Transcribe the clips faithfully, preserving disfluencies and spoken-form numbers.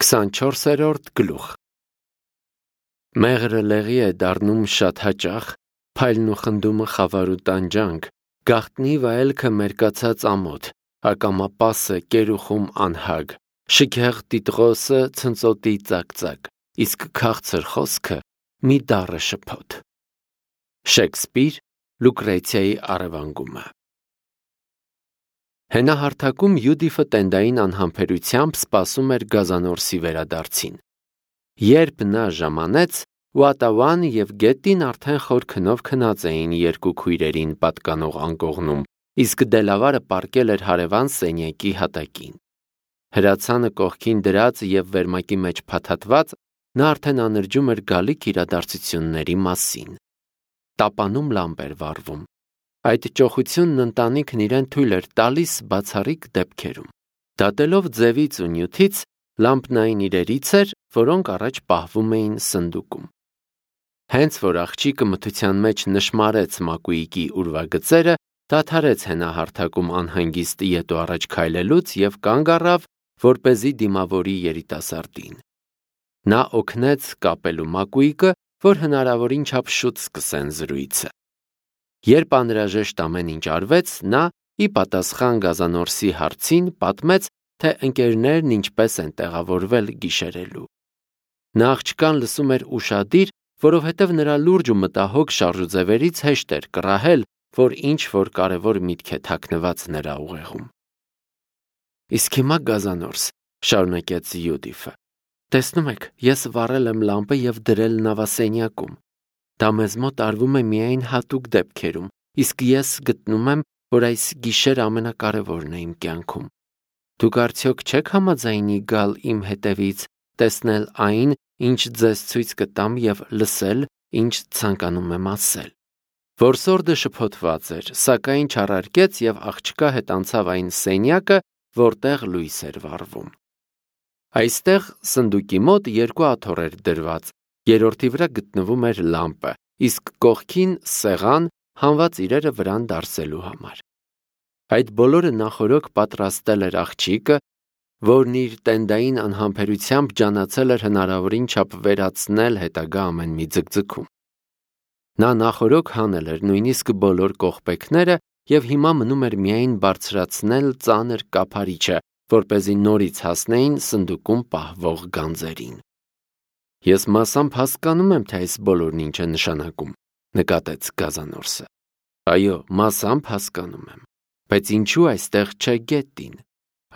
քսանչորսերորդ գլուխ Մեղրը լեղի է դառնում շատ հաճախ, փայլն ու խնդումը խավար ու տանջանք, գաղտնի վայելքը մերկացած ամոթ, ակամա պասը կերուխում անհագ, շքեղ տիտղոսը ցնծոտի ծակծակ, իսկ քաղցր խոսքը մի դառը շփոթ։ Շեքսպիր, Լուկրեցիայի առևանգումը։ Հենահարթակում Յուդիֆը տենդային անհամբերությամբ սպասում էր Գազանորսի վերադարձին։ Երբ նա ժամանեց, Ուատավան և Գետին արդեն խոր քնով քնած էին երկու քույրերին պատկանող անկողնում, իսկ Դելավարը պառկել էր հարևան սենյակի հատակին։ Հրացանը կողքին դրած և վերմակի մեջ փաթաթված, նա արդեն անրջում էր գալիք իրադարձությունների մասին։ Տապանում լամպ էր վառվում։ Այդ ճոխությունն ընտանիքն իրեն թույլ էր տալիս բացառիկ դեպքերում։ Դատելով ձևից ու նյութից, լամպն այն իրերից էր, որոնք առաջ պահվում էին սնդուկում։ Հենց որ աղջիկը մթության մեջ նշմարեց մակույկի ուրվագծերը, դադարեց հենահարթակում անհանգիստ ետ ու առաջ քայլելուց և կանգ առավ, որպեսզի դիմավորի երիտասարդին։ Նա օգնեց կապելու մակույկը, որ հնարավորին չափ շուտ սկսեն զրույցը։ Երբ անհրաժեշտ ամեն ինչ արվեց, նա, ի պատասխան Գազանորսի հարցին, պատմեց, թե ընկերներն ինչպես են տեղավորվել գիշերելու։ Նա աղջկան լսում էր ուշադիր, որովհետև նրա լուրջ ու մտահոգ շարժուձևերից հեշտ էր կռահել, որ ինչ-որ կարևոր միտք է թաքնված նրա ուղեղում։ Իսկ հիմա Գազանորս, շարունակեց Յուդիֆը, տեսնում եք, ես վառել եմ լամպը և դրել նավասենյակում։ Դա մեզ մոտ արվում է միայն հատուկ դեպքերում, իսկ ես գտնում եմ, որ այս գիշերը ամենակարևորն է իմ կյանքում։ Դուք արդյոք չեք համաձայնի գալ իմ հետևից, տեսնել այն, ինչ ձեզ ցույց կտամ և լսել, ինչ ցանկանում եմ ասել։ Որսորդը շփոթված էր, սակայն չառարկեց և աղջկա հետ անցավ այն սենյակը, որտեղ լույս էր վառվում։ Այստեղ սնդուկի մոտ երկու աթոռ էր դրված, երրորդի վրա գտնվում էր լամպը, իսկ կողքին սեղան, հանված իրերը վրան դարսելու համար։ Այդ բոլորը նախօրոք պատրաստել էր աղջիկը, որն իր տենդային անհամբերությամբ ջանացել էր հնարավորին չափ վերացնել հետագա ամեն մի ձգձգում։ Նա նախօրոք հանել էր նույնիսկ բոլոր կողպեքները և հիմա մնում էր միայն բարձրացնել ծանր կափարիչը, որպեսզի նորից հասնեին սնդուկում պահվող գանձերին։ Ես մասամբ հասկանում եմ, թե այս բոլորն ինչ է նշանակում, նկատեց Գազանորսը։ Այո, մասամբ հասկանում եմ, բայց ինչու այստեղ չէ Գետին։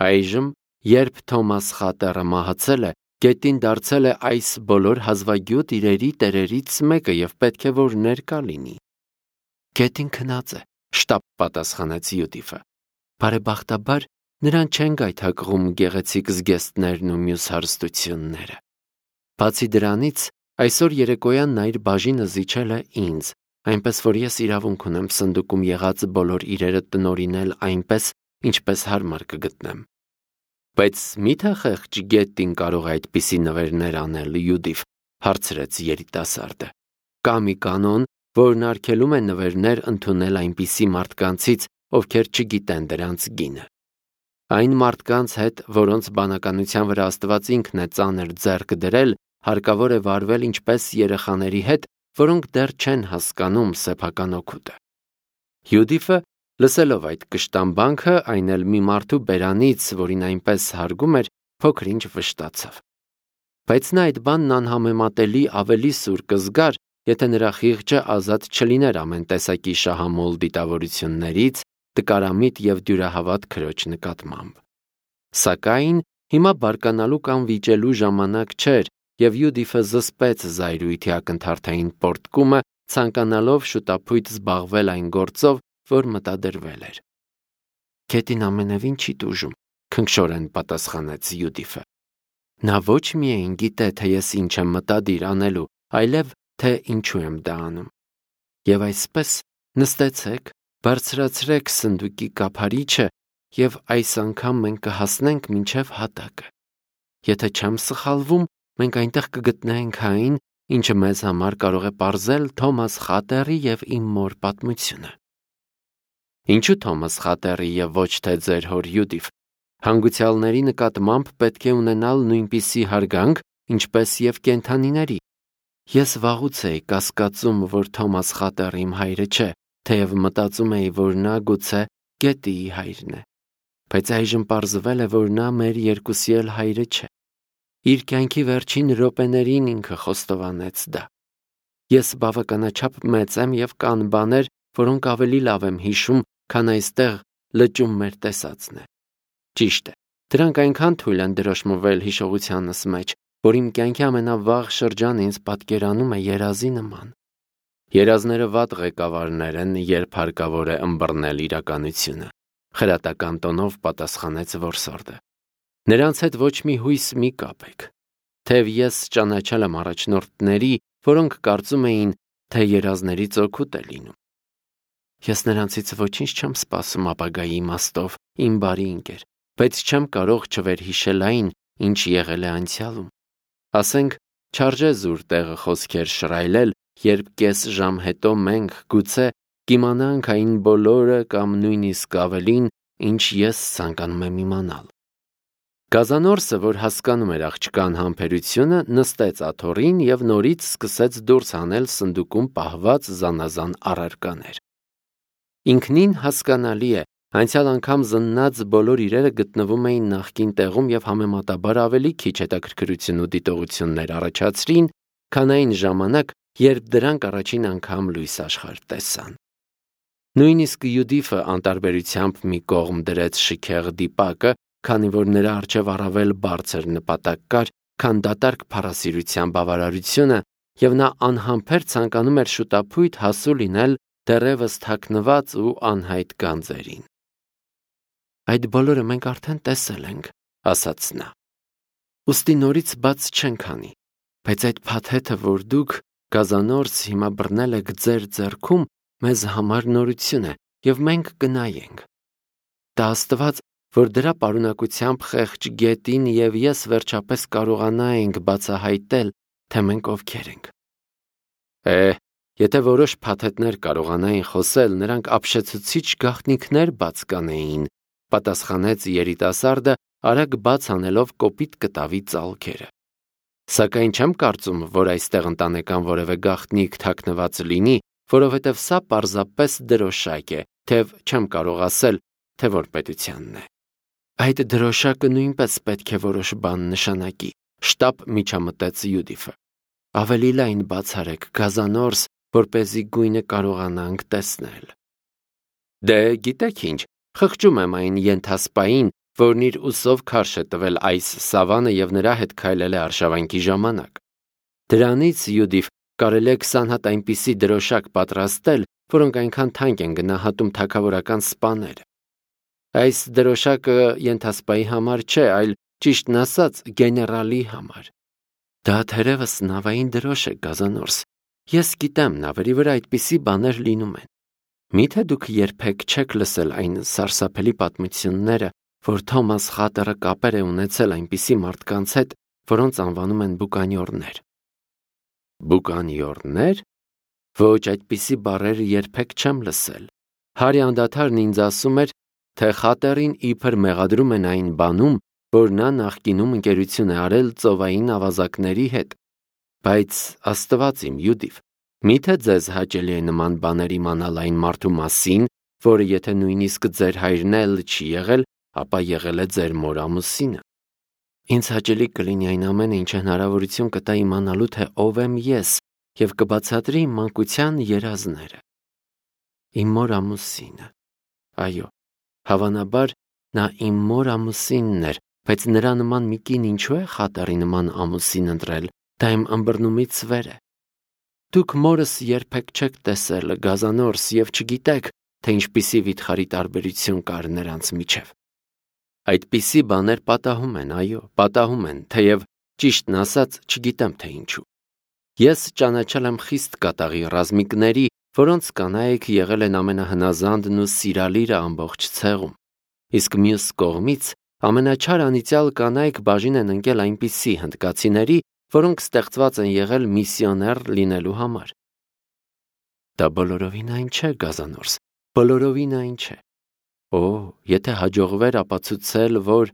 Այժմ, երբ Թոմաս Խատերը մահացել է, Գետին դարձել է այս բոլոր հազվագյուտ իրերի տերերից մեկը և պետք է որ ներկա լինի։ Գետին քնած է, շտապ պատասխանեց Յուդիֆը։ Բարեբախտաբար նրան չեն գայթակղում գեղեցիկ զգեստներն ու մյուս հարստությունները։ Բացի դրանից, այսօր երեկոյան նա իր բաժինը զիջել է ինձ, այնպես որ ես իրավունք ունեմ սնդուկում եղած բոլոր իրերը տնօրինել այնպես, ինչպես հարմար կգտնեմ։ Բայց մի՞թե խեղճ Գետին կարող է այդպիսի նվերներ անել, Յուդիֆ, հարցրեց երիտասարդը։ Կա մի կանոն, որն արգելում է նվերներ ընդունել այնպիսի մարդկանցից, ովքեր չգիտեն դրանց գինը։ Այն մարդկանց հետ, որոնց բանականության վրա Աստված ինքն է ծանր ձեռք դրել, հարկավոր է վարվել ինչպես երեխաների հետ, որոնք դեռ չեն հասկանում սեփական օգուտը։ Յուդիֆը, լսելով այդ կշտամբանքը, այն էլ մի մարդու բերանից, որին այնպես հարգում էր, փոքր-ինչ վշտացավ։ Բայց նա այդ բանն անհամեմատելի ավելի սուր կզգար, եթե նրա խիղճը ազատ չլիներ ամեն տեսակի շահամոլ դիտավորություններից, տկարամիտ և դյուրահավատ քրոջ նկատմամբ։ Սակայն հիմա բարկանալու կամ վիճելու ժամանակ չէր, և Յուդիֆը զսպեց զայրույթի ակնթարթային պոռթկումը, ցանկանալով շուտափույթ զբաղվել այն գործով, որ մտադրվել էր։ Գետին ամենևին չի տուժում, քնքշորեն պատասխանեց Յուդիֆը։ Նա ոչ միայն գիտե, թե ես ինչ եմ մտադիր անելու, այլև թե ինչու եմ դա անում։ Եվ այսպես նստեցեք, բարձրացրեք սնդուկի կափարիչը և այս անգամ մենք կհասնենք մինչև հատակը։ Եթե չեմ սխալվում, մենք այնտեղ կգտնենք այն, ինչը մեզ համար կարող է պարզել Թոմաս Խատերի և իմ մոր պատմությունը։ Ինչու Թոմաս Խատերի և ոչ թե ձեր հոր Յուդիֆ, Հանգուցյալների նկատմամբ պետք է ունենալ նույնպիսի հարգանք, ինչպես եւ կենդանիների։ Ես վաղուց էի կասկածում, որ Թոմաս Խատերը իմ հայրը չէ, թեև մտածում էի, որ նա գուցե Գետիի հայրն է, բայց այժմ պարզվել է, որ նա մեր երկուսի էլ հայրը չէ։ Իր կյանքի վերջին րոպեներին ինքը խոստովանեց դա։ Ես բավականաչափ մեծ եմ եւ կան բաներ, որոնք ավելի լավ եմ հիշում, քան այստեղ լճում մեր տեսածն է։ Ճիշտ է, դրանք այնքան թույլ են դրոշմվել հիշողությանս մեջ, որ իմ կյանքի ամենավաղ շրջանը ինձ պատկերանում է երազի նման։ Երազները վատ ղեկավարներ են, երբ հարկավոր է ըմբռնել իրականությունը, խրատական տոնով պատասխանեց որսորդը։ Նրանց հետ ոչ մի հույս մի կապեք։ Թեև ես ճանաչել եմ առաջնորդների, որոնք կարծում էին, թե երազներից օգուտ է լինում։ Ես նրանցից ոչինչ չեմ սպասում ապագայի իմաստով, իմ բարի ընկեր, բայց չեմ կարող չվերհիշել այն, ինչ եղել է անցյալում։ Ասենք, չարժե զուր տեղը խոսքեր շռայլել, երբ կես ժամ հետո մենք գուցե կիմանանք այն բոլորը կամ նույնիսկ ավելին, ինչ ես ցանկանում եմ իմանալ։ Գազանորսը, որ հասկանում էր աղջկան համբերությունը, նստեց աթոռին եւ նորից սկսեց դուրս հանել սնդուկում պահված զանազան առարկաներ։ Ինքնին հասկանալի է, անցյալ անգամ զննած բոլոր իրերը գտնվում էին նախկին տեղում եւ համեմատաբար ավելի քիչ հետաքրքրություն ու դիտողություններ առաջացրին, քան այն ժամանակ, երբ դրանք առաջին անգամ լույս աշխարհ տեսան։ Նույնիսկ Յուդիֆը անտարբերությամբ մի կողմ դրեց շքեղ դիպակը, քանի որ նրա առջև առավել բարձր նպատակ կար, քան դատարկ փառասիրության բավարարությունը, եւ նա անհամբեր ցանկանում էր շուտափույթ հասու լինել դեռևս թաքնված ու անհայտ գանձերին։ Այդ բոլորը մենք արդեն տեսել ենք, ասաց նա։ Ոստի նորից բաց չենք անի, բայց այդ փաթեթը, որ դուք գազանորս հիմա բռնել եք ձեր ձեռքում, մեզ համար նորություն է եւ մենք կնայենք։ Դա Աստված, որ դրա պարունակությամբ խեղճ Գետին եւ ես վերջապես կարողանայինք բացահայտել, թե մենք ովքեր ենք։ Է, եթե որոշ փաթեթներ կարողանային խոսել, նրանք ապշեցուցիչ գաղտնիքներ բաց կանեին, պատասխանեց երիտասարդը, արագ բաց անելով կոպիտ կտավի ծալքերը։ Սակայն չեմ կարծում, որ այստեղ ընտանեկան որևէ գաղտնիք թաքնված լինի, որովհետև սա պարզապես դրոշակ է, թեև չեմ կարող ասել, թե որ պետությանն է։ Այդ դրոշակը նույնպես պետք է որոշ բան նշանակի, շտապ միջամտեց Յուդիֆը։ Ավելի լայն բացարեք, գազանորս, որպեսզի գույնը կարողանանք տեսնել։ Դե գիտեք ինչ, խղճում եմ այն ենթասպային, որն իր ուսով քարշ է տվել այս սավանը եւ նրա հետ քայլել է արշավանքի ժամանակ։ Դրանից, Յուդիֆ, կարելի է քսան հատ այնպիսի դրոշակ պատրաստել, որոնք այնքան թանկ են գնահատում թագավորական սպաները։ Այս դրոշակը ենթասպայի համար չէ, այլ ճիշտն ասած, գեներալի համար։ Դա թերևս նավային դրոշ է, գազանորս։ Ես գիտեմ, նավերի վրա այդպիսի բաներ լինում են։ Միթե դուք երբեք չեք լսել այն սարսափելի պատմությունները, որ Թոմաս Խատերը կապեր է ունեցել այնպիսի մարդկանց հետ, որոնց անվանում են բուկանյորներ։ Բուկանյորներ։ Ոչ, այդպիսի բառեր երբեք չեմ լսել։ Հարի անդադարն ինձ ասում էր, թե Խատերին իբր մեղադրում են այն բանում, որ նա նախկինում ընկերություն է արել ծովային ավազակների հետ։ Բայց Աստված իմ, Յուդիֆ, միթե ձեզ հաճելի է նման բաներ իմանալ այն մարդու մասին, որը եթե նույնիսկ ձեր հայրն էլ չի եղել, ապա եղել է ձեր մոր ամուսինը։ Ինձ հաճելի կլինի այն ամենը, ինչ հնարավորություն կտա իմանալու, թե ով եմ ես, եւ կբացատրի իմ մանկության երազները։ Իմ մոր ամուսինը։ Այո, հավանաբար նա իմ մոր ամուսինն էր, բայց նրա նման մի կին ինչու է Խատերի նման ամուսին ընտրել, դա իմ ըմբռնումից վեր է։ Դուք մորս երբեք չեք տեսել, գազանորս, եւ չգիտեք, թե ինչպիսի վիթխարի տարբերություն կար նրանց միջև։ Այդպիսի բաներ պատահում են, այո, պատահում են, թեև ճիշտն ասած չգիտեմ թե ինչու։ Ես ճանաչել եմ խիստ կատաղի ռազմիկների, որոնց կանայք եղել են ամենահնազանդն ու սիրալիրը ամբողջ ցեղում։ Իսկ մյուս կողմից ամենաչար անիծյալ կանայք բաժին են ընկել այնպիսի հնդկացիների, որոնք ստեղծված են եղել միսիոներ լինելու համար։ Դա բոլորովին այն չէ, գազանորս, բոլորովին այն չէ։ Օ, եթե հաջողվեր ապացուցել, որ…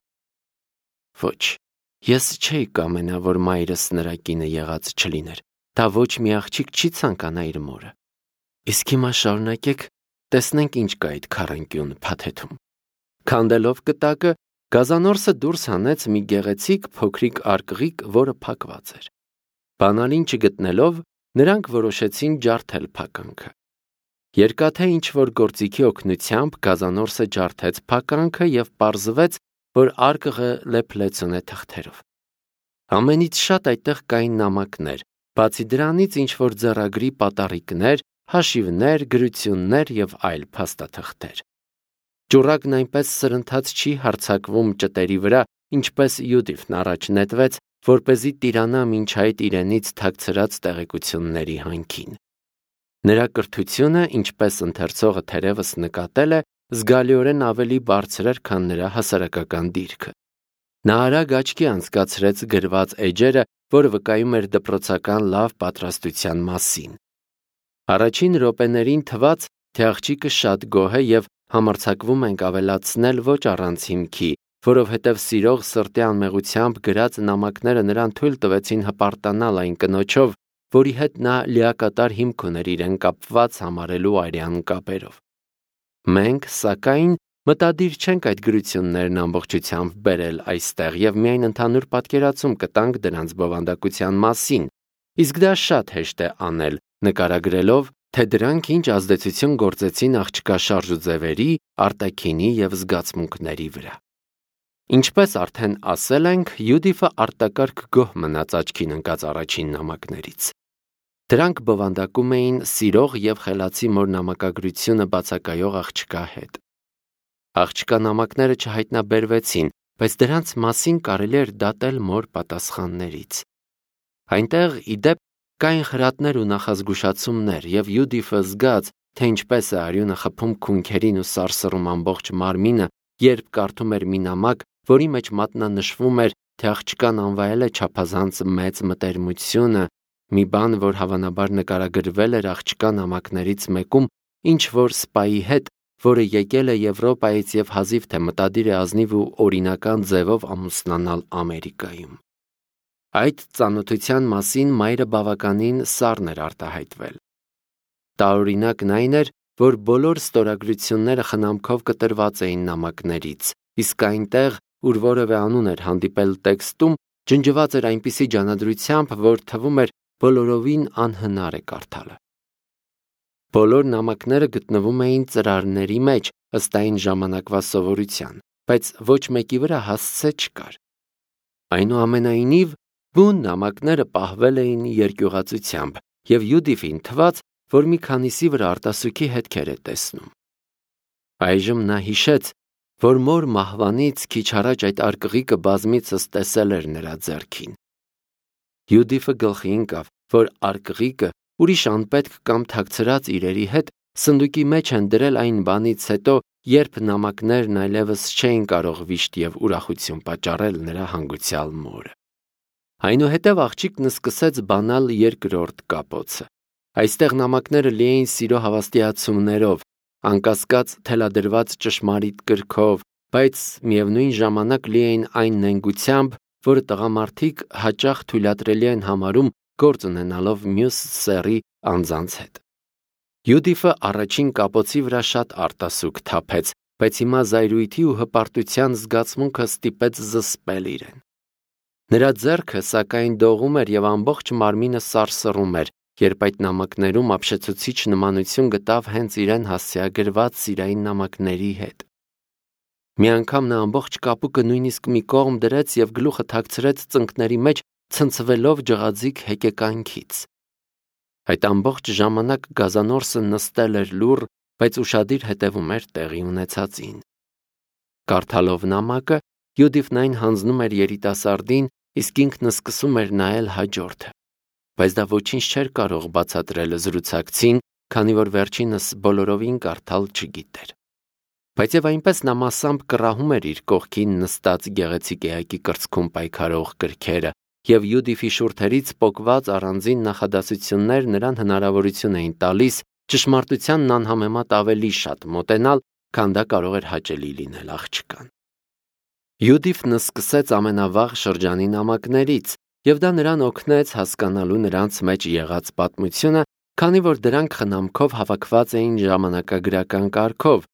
Ոչ, ես չէի կամենա, որ մայրս նրա կինը եղած չլիներ, դա ոչ մի աղջիկ չի ցանկանա իր մորը։ Իսկ հիմա շարունակեք, տեսնենք ինչ կա այդ քառանկյուն փաթեթում։ Քանդելով կտակը, գազանորսը դուրս հանեց մի գեղեցիկ փոքրիկ արկղիկ, որը փակված էր։ Բանալին չգտնելով, նրանք որոշեցին ջարդել փականքը։ Երկաթե ինչ-որ գործիքի օգնությամբ գազանորսը ջարդեց փականքը և պարզվեց, որ արկղը լեփլեցուն է թղթերով։ Ամենից շատ այդտեղ կային նամակներ, բացի դրանից ինչ-որ ձեռագրի պատառիկներ, հաշիվներ, գրություններ և այլ փաստաթղթեր։ Ճուռակն այնպես սրընթաց չի հարձակվում ճտերի վրա, ինչպես Յուդիֆն առաջ նետվեց, որպեսզի տիրանա մինչ այդ իրենից թաքցրած տեղեկությունների հանքին։ Նրա կրթությունը, ինչպես ընթերցողը թերևս նկատել է, զգալիորեն ավելի բարձր էր, քան նրա հասարակական դիրքը։ Նա արագ աչքի անցկացրեց գրված էջերը, որը վկայում էր դպրոցական լավ պատրաստության մասին։ Առաջին րոպեներին թվաց, թե աղջիկը շատ գոհ է և համարձակվում ենք ավելացնել ոչ առանց հիմքի, որովհետև սիրող սրտի անմեղությամբ գրած նամակները նրան թույլ տվեցին հպարտանալ այն կնոջով, որի հետ նա լիակատար հիմք ուներ իրեն կապված համարելու արյան կապերով։ Մենք, սակայն, մտադիր չենք այդ գրություններն ամբողջությամբ բերել այստեղ և միայն ընդհանուր պատկերացում կտանք դրանց բովանդակության մասին, իսկ դա շատ հեշտ է անել, նկարագրելով, թե դրանք ինչ ազդեցություն գործեցին աղջկա շարժուձևերի, արտաքինի և զգացմունքների վրա։ Ինչպես արդեն ասել ենք, Յուդիֆը արտակարգ գոհ մնաց աչքին ընկած առաջին նամակներից։ Դրանք բովանդակում էին սիրող և խելացի մոր նամակագրությունը բացակայող աղջկա հետ։ Աղջկա նամակները չհայտնաբերվեցին, բայց դրանց մասին կարելի էր դատել մոր պատասխաններից։ Այնտեղ, ի դեպ, կային խրատներ ու նախազգուշացումներ, և Յուդիֆը զգաց, թե ինչպես է արյունը խփում քունքերին ու սարսռում ամբողջ մարմինը, երբ կարդում էր մի նամակ, որի մեջ մատնանշվում էր, թե աղջկան անվայել է չափազանց մեծ մտերմությունը, մի բան, որ հավանաբար նկարագրվել էր աղջկա նամակներից մեկում ինչ-որ սպայի հետ, որը եկել է Եվրոպայից և հազիվ թե մտադիր է ազնիվ ու օրինական ձևով ամուսնանալ Ամերիկայում։ Այդ ծանոթության մասին մայրը բավականին սառն էր արտահայտվել։ Տարօրինակն այն էր, որ բոլոր ստորագրությունները խնամքով կտրված էին նամակներից, իսկ այնտեղ, ուր որևէ անուն էր հանդիպել տեքստում, ջնջված էր այնպիսի ջանադրությամբ, որ թվում էր բոլորովին անհնար է կարդալը։ Բոլոր նամակները գտնվում էին ծրարների մեջ, ըստ այն ժամանակվա սովորության, բայց ոչ մեկի վրա հասցե չկար։ Այնուամենայնիվ, բուն նամակները պահվել էին երկյուղածությամբ, և Յուդիֆին թվաց, որ մի քանիսի վրա արտասուքի հետքեր է տեսնում։ Այժմ նա հիշեց, որ մոր մահվանից քիչ առաջ այդ արկղիկը բազմիցս տեսել էր նրա ձեռքին։ Յուդիֆը գլխի ընկավ, որ արկղիկը ուրիշ անպետք կամ թաքցրած իրերի հետ սնդուկի մեջ են դրել այն բանից հետո, երբ նամակներն այլևս չէին կարող վիշտ և ուրախություն պատճառել նրա հանգուցյալ մորը։ Այնուհետև աղջիկն սկսեց բանալ երկրորդ կապոցը։ Այստեղ նամակները լի էին սիրո հավաստիացումներով, անկասկած թելադրված ճշմարիտ կրքով, բայց միևնույն ժամանակ լի էին այն նենգությամբ, որը տղամարդիկ հաճախ թույլատրելի են համարում գործ ունենալով մյուս սեռի անձանց հետ։ Յուդիֆը առաջին կապոցի վրա շատ արտասուք թափեց, բայց հիմա զայրույթի ու հպարտության զգացմունքը ստիպեց զսպել իրեն։ Նրա ձեռքը, սակայն, դողում էր և ամբողջ մարմինը սարսռում էր, երբ այդ նամակներում ապշեցուցիչ նմանություն գտավ հենց իրեն հասցեագրված սիրային նամակների հետ։ Մի անգամ նա ամբողջ կապուկը նույնիսկ մի կողմ դրեց և գլուխը թաքցրեց ծնկների մեջ, ցնցվելով ջղաձիգ հեկեկանքից։ Այդ ամբողջ ժամանակ գազանորսը նստել էր լուռ, բայց ուշադիր հետևում էր տեղի ունեցածին։ Կարդալով նամակը, Յուդիֆն այն հանձնում էր երիտասարդին, իսկ ինքն սկսում էր նայել հաջորդը։ Բայց դա ոչինչ չէր կարող բացատրել զրուցակցին, քանի որ վերջինս բոլորովին կարդալ չգիտեր։ Բայց և այնպես նա մասամբ կռահում էր իր կողքին նստած գեղեցիկ էակի կրծքում պայքարող կրքերը, և Յուդիֆի շուրթերից պոկված առանձին նախադասություններ նրան հնարավորություն էին տալիս ճշմարտությանն անհամեմատ ավելի շատ մոտենալ, քան դա կարող էր հաճելի լինել աղջկան։ Յուդիֆն սկսեց ամենավաղ շրջանի նամակներից, եւ դա նրան օգնեց հասկանալու նրանց մեջ եղած պատմությունը, քանի որ դրանք խնամքով հավաքված էին ժամանակագրական կարգով,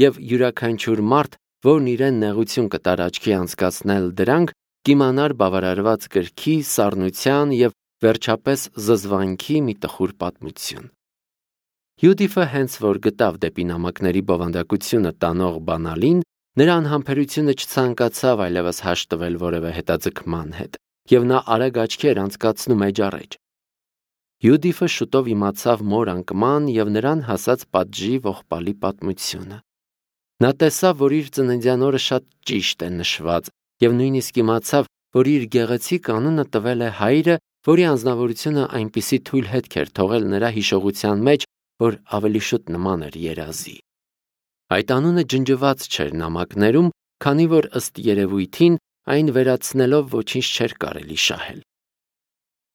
եւ յուրաքանչյուր մարդ, որն իրեն նեղություն կտար աչքի անցկացնել դրանք, կիմանար բավարարված գրքի, սառնության եւ վերջապես զզվանքի մի տխուր պատմություն։ Յուդիֆը հենց որ գտավ դեպի նամակների բովանդակությունը տանող բանալին, նրա անհամբերությունը չցանկացավ այլևս հաշտվել որևէ հետաձգման հետ, եւ նա արագ աչքեր անցկացնում էջառեջ։ Յուդիֆը շուտով իմացավ մոր անկման եւ նրան հասած պատժի ողբալի պատմությունը։ Նա տեսավ, որ իր ծննդյան օրը շատ ճիշտ է նշված, եւ նույնիսկ իմացավ, որ իր գեղեցիկ անունը տվել է հայրը, որի անձնավորությունը այնպիսի թույլ հետք էր թողել նրա հիշողության մեջ, որ ավելի շուտ նման էր երազի։ Այդ անունը ջնջված չէր նամակներում, քանի որ ըստ երևույթին այն վերացնելով ոչինչ չէր կարելի շահել։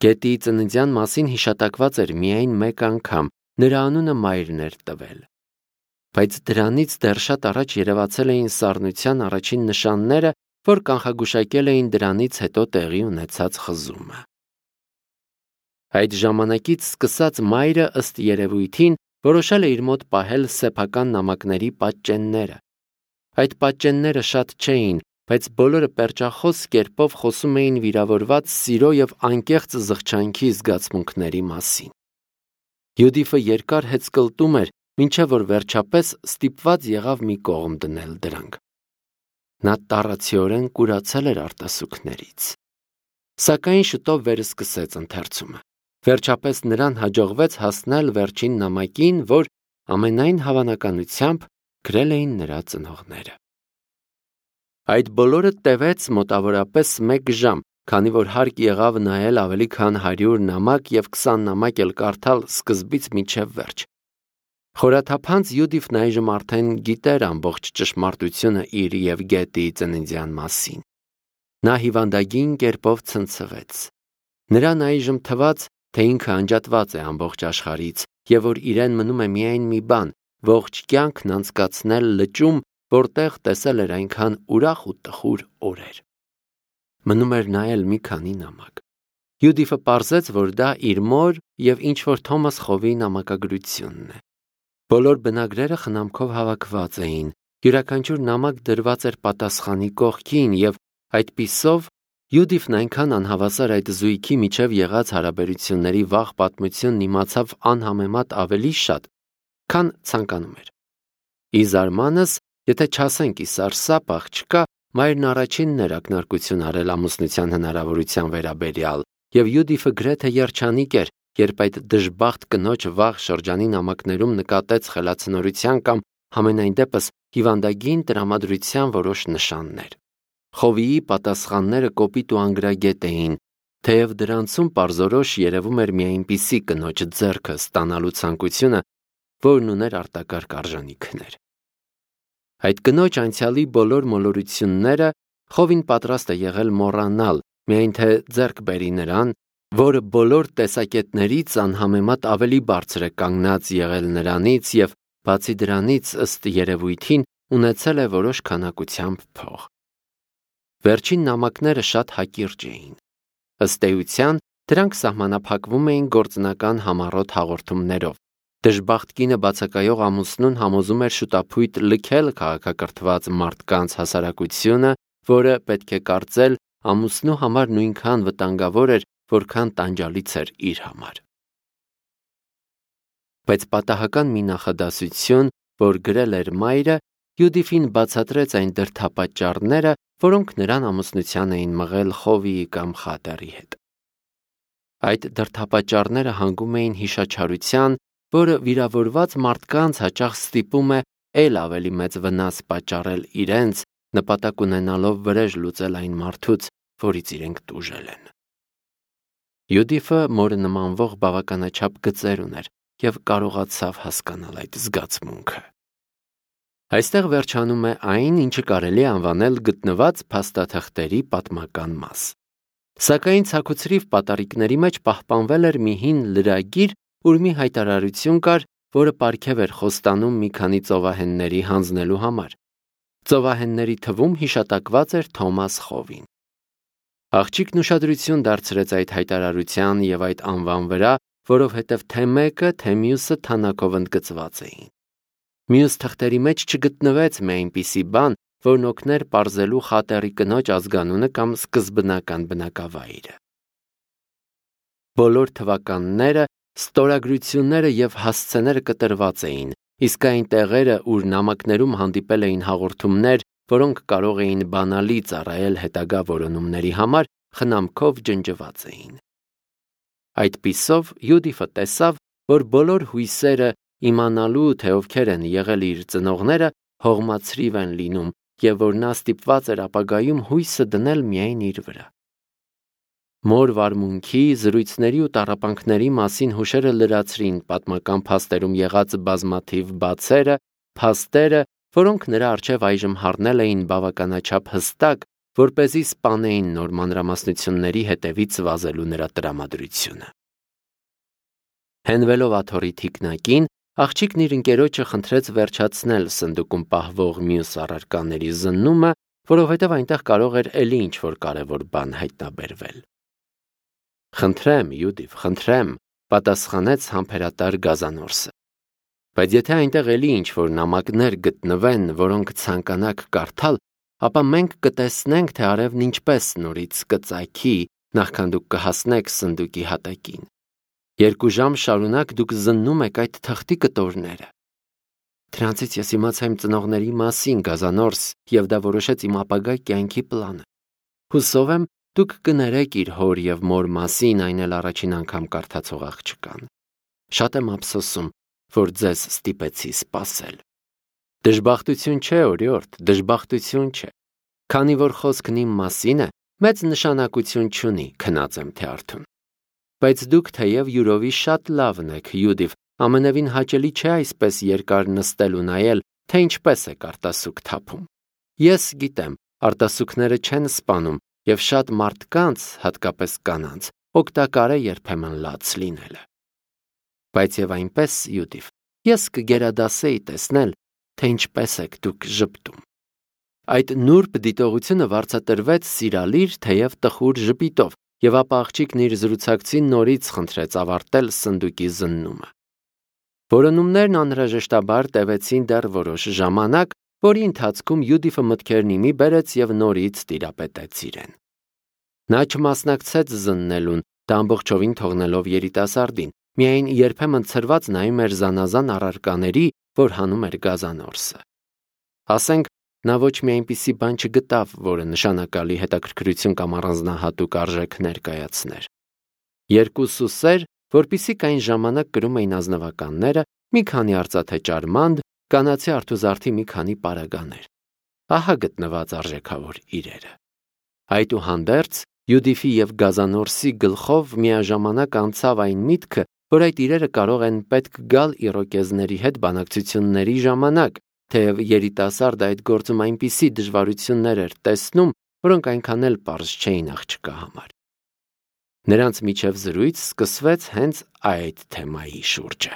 Գետի ծննդյան մասին հիշատակված էր միայն մեկ անգամ, նրա անունը մայրն էր տվել։ Բայց դրանից դեռ շատ առաջ երևացել էին սառնության առաջին նշանները, որ կանխագուշակել էին դրանից հետո տեղի ունեցած խզումը։ Այդ ժամանակից սկսած մայրը ըստ երևույթին որոշել է իր մոտ պահել սեփական նամակների պատճենները։ Այդ պատճենները շատ չէին, բայց բոլորը պերճախոս կերպով խոսում էին վիրավորված սիրո եւ անկեղծ զղջանքի զգացմունքների մասին։ Յուդիֆը երկար հեծկլտում էր, մինչև որ վերջապես ստիպված եղավ մի կողմ դնել դրանք։ Նա տառացիորեն կուրացել էր արտասուքներից։ Սակայն շուտով վերսկսեց ընթերցումը։ Վերջապես նրան հաջողվեց հասնել վերջին նամակին, որ ամենայն հավանականությամբ գրել էին նրա ծնողները։ Այդ բոլորը տևեց մոտավորապես մեկ ժամ, քանի որ հարկ եղավ նայել ավելի քան հարյուր նամակ եւ քսան նամակ էլ կարդալ սկզբից մինչև վերջ։ Խորաթափանց Յուդիֆն այժմ արդեն գիտեր ամբողջ ճշմարտությունը իր եւ Գետի ծննդյան մասին։ Նա հիվանդագին կերպով ցնցվեց։ Նրան այժմ թվաց, թե ինքը անջատված է ամբողջ աշխարհից եւ որ իրեն մնում է միայն մի բան՝ ողջ կյանքն անցկացնել լճում, որտեղ տեսել էր այնքան ուրախ ու տխուր օրեր։ Մնում էր նայել մի քանի նամակ։ Յուդիֆը պարզեց, որ դա իր մոր եւ ինչ որ Թոմաս Խովի նամակագրությունն է։ Բոլոր բնագրերը խնամքով հավաքված էին, յուրաքանչյուր նամակ դրված էր պատասխանի կողքին եւ այդպիսով Յուդիֆն այնքան անհավասար այդ զույգի միջև եղած հարաբերությունների վաղ պատմությունն իմացավ անհամեմատ ավելի շատ, քան ցանկանում էր։ Ի զարմանս, եթե չասենք ի սարսափ աղջկա, մայրն առաջինն էր ակնարկություն արել ամուսնության հնարավորության վերաբերյալ, եւ Յուդիֆը գրեթե երջանիկ էր, երբ այդ դժբախտ կնոջ վաղ շրջանի նամակներում նկատեց խելացնորության կամ համենայն դեպս հիվանդագին տրամադրության որոշ նշաններ։ Խովիի պատասխանները կոպիտ ու անգրագետ էին, թեև դրանցում պարզորոշ երևում էր մի այնպիսի կնոջ ձեռքը ստանալու ցանկությունը, որն ուներ արտակարգ արժանիքներ։ Այդ կնոջ անցյալի բոլոր մոլորությունները Խովին պատրաստ է եղել մոռանալ, միայն թե ձեռք բերի նրան, որը բոլոր տեսակետներից անհամեմատ ավելի բարձր է կանգնած եղել նրանից եւ բացի դրանից ըստ երևույթին ունեցել է որոշ քանակությամբ փող։ Վերջին նամակները շատ հակիրճ էին։ Ըստ էության, դրանք սահմանափակվում էին գործնական համառոտ հաղորդումներով։ Դժբախտ կինը բացակայող ամուսնուն համոզում էր շուտափույթ լքել քաղաքակրթված մարդկանց հասարակությունը, որը պետք է կարծել ամուսնու համար նույնքան վտանգավոր էր, որքան տանջալից էր իր համար։ Բայց պատահական մի նախադասություն, որ գրել էր մայրը, Յուդիֆին բացատրեց այն դրդապատճառները, որոնք նրան ամուսնության էին մղել Խովիի կամ Խատերի հետ։ Այդ դրդապատճառները հանգում էին հիշաչարության, որը վիրավորված մարդկանց հաճախ ստիպում է ել ավելի մեծ վնաս պատճառել իրենց, նպատակ ունենալով վրեժ լուծել այն մարդուց, որից իրենք տուժել են։ Յուդիֆը մորը նմանվող բավականաչափ գծեր ուներ եւ կարողացավ հասկանալ այդ զգացմունքը։ Այստեղ վերջանում է այն, ինչը կարելի է անվանել գտնված փաստաթղթերի պատմական մաս։ Սակայն ցաքուցրիվ պատառիկների մեջ պահպանվել էր մի հին լրագիր, ուր մի հայտարարություն կար, որը պարգև էր խոստանում մի քանի ծովահենների հանձնելու համար։ Ծովահենների թվում հիշատակված էր Թոմաս Խովին։ Աղջիկն ուշադրություն դարձրեց այդ հայտարարության եւ այդ անվան վրա, որովհետև թե մեկը, թե մյուսը թանաքով ընդգծված էին։ Մյուս թղթերի մեջ չգտնվեց մի այնպիսի բան, որն օգներ պարզելու խատերի կնոջ ազգանունը կամ սկզբնական բնակավայրը։ Բոլոր թվականները, ստորագրությունները եւ հասցեները կտրված էին, իսկ այն տեղերը, ուր նամակներում հանդիպել էին հաղորդումներ, որոնք կարող էին բանալի ծառայել հետագա որոնումների համար, խնամքով ջնջված էին։ Այդպիսով Յուդիֆը տեսավ, որ բոլոր հույսերը իմանալու, թե ովքեր են եղել իր ծնողները, հողմացրիվ են լինում եւ որ նա ստիպված էր ապագայում հույսը դնել միայն իր վրա։ Մոր վարմունքի, զրույցների ու տառապանքների մասին հուշերը լրացրին պատմական փաստերում եղած բազմաթիվ բացերը, փաստերը, որոնք նրա առջև այժմ հառնել էին բավականաչափ հստակ, որպեսզի սպանեին նոր մանրամասնությունների հետևից վազելու նրա տրամադրությունը։ Հենվելով աթոռի թիկնակին, աղջիկն իր ընկերոջը խնդրեց վերջացնել սնդուկում պահվող մյուս առարկաների զննումը, որովհետև այնտեղ կարող էր էլի ինչ-որ կարևոր բան հայտնաբերվել։ Խնդրեմ, Յուդիֆ, խնդրեմ, պատասխանեց համբերատար Գազանորսը։ Բայց եթե այնտեղ էլի ինչ-որ նամակներ գտնվեն, որոնք ցանկանաք կարդալ, ապա մենք կտեսնենք, թե արևն ինչպես նորից կծագի, նախքան դուք կհասնեք սնդուկի հատակին։ Երկու ժամ շարունակ դուք զննում եք այդ թղթի կտորները։ Դրանցից ես իմացա իմ ծնողների մասին, Գազանորս, եւ դա որոշեց իմ ապագա կյանքի պլանը։ Հուսով եմ, դուք կներեք իր հոր եւ մոր մասին, այն էլ առաջին անգամ կարդացող աղջկան։ Շատ եմ ափսոսում, որ ձեզ ստիպեցի սպասել։ Դժբախտություն չէ, օրիորդ, դժբախտություն չէ։ Քանի որ խոսքն իմ մասին է, մեծ նշանակություն չունի, քնած եմ թե արթուն։ Բայց դուք թեև յուրովի շատ լավն եք, Յուդիֆ, ամենևին հաճելի չէ այսպես երկար նստել ու նայել, թե ինչպես է արտասուք թափում։ Ես գիտեմ, արտասուքները չեն սպանում, եւ շատ մարդկանց, հատկապես կանանց, օգտակար է երբեմն լաց լինելը։ Բայց եւ այնպես, Յուդիֆ, ես կգերադասեի տեսնել, թե ինչպես եք դուք ժպտում։ Այդ նուրբ դիտողությունը վարձատրվեց սիրալիր, թեև տխուր ժպիտով, եւ ապա աղջիկն իր զրուցակցին նորից խնդրեց ավարտել սնդուկի զննումը։ Որոնումներն անհրաժեշտաբար տևեցին դեռ որոշ ժամանակ, որի ընթացքում Յուդիֆը մտքերն իմի բերեց եւ նորից տիրապետեց իրեն։ Նա չմասնակցեց զննելուն, դա ամբողջովին թողնելով երիտասարդին, միայն երբեմն ցրված նայում էր զանազան առարկաների, որ հանում էր Գազանորսը։ Ասենք, նա ոչ մի այնպիսի բան չգտավ, որը նշանակալի հետաքրքրություն կամ առանձնահատուկ արժեք ներկայացներ։ Երկու սուսեր, որպիսիք այն ժամանակ կրում էին ազնվականները, մի քանի արծաթե ճարմանդ, կանացի արթուզարդի մի քանի պարագաներ։ Ահա գտնված արժեքավոր իրերը։ Այդուհանդերձ Յուդիֆի եւ Գազանորսի գլխով միաժամանակ անցավ այն միտքը, որ այդ իրերը կարող են պետք գալ իրոկեզների հետ բանակցությունների ժամանակ, թեև երիտասարդը այդ գործում այնպիսի դժվարություններ էր տեսնում, որոնք այնքան էլ պարզ չէին աղջկա համար։ Նրանց միջև զրույց սկսվեց հենց այդ թեմայի շուրջը։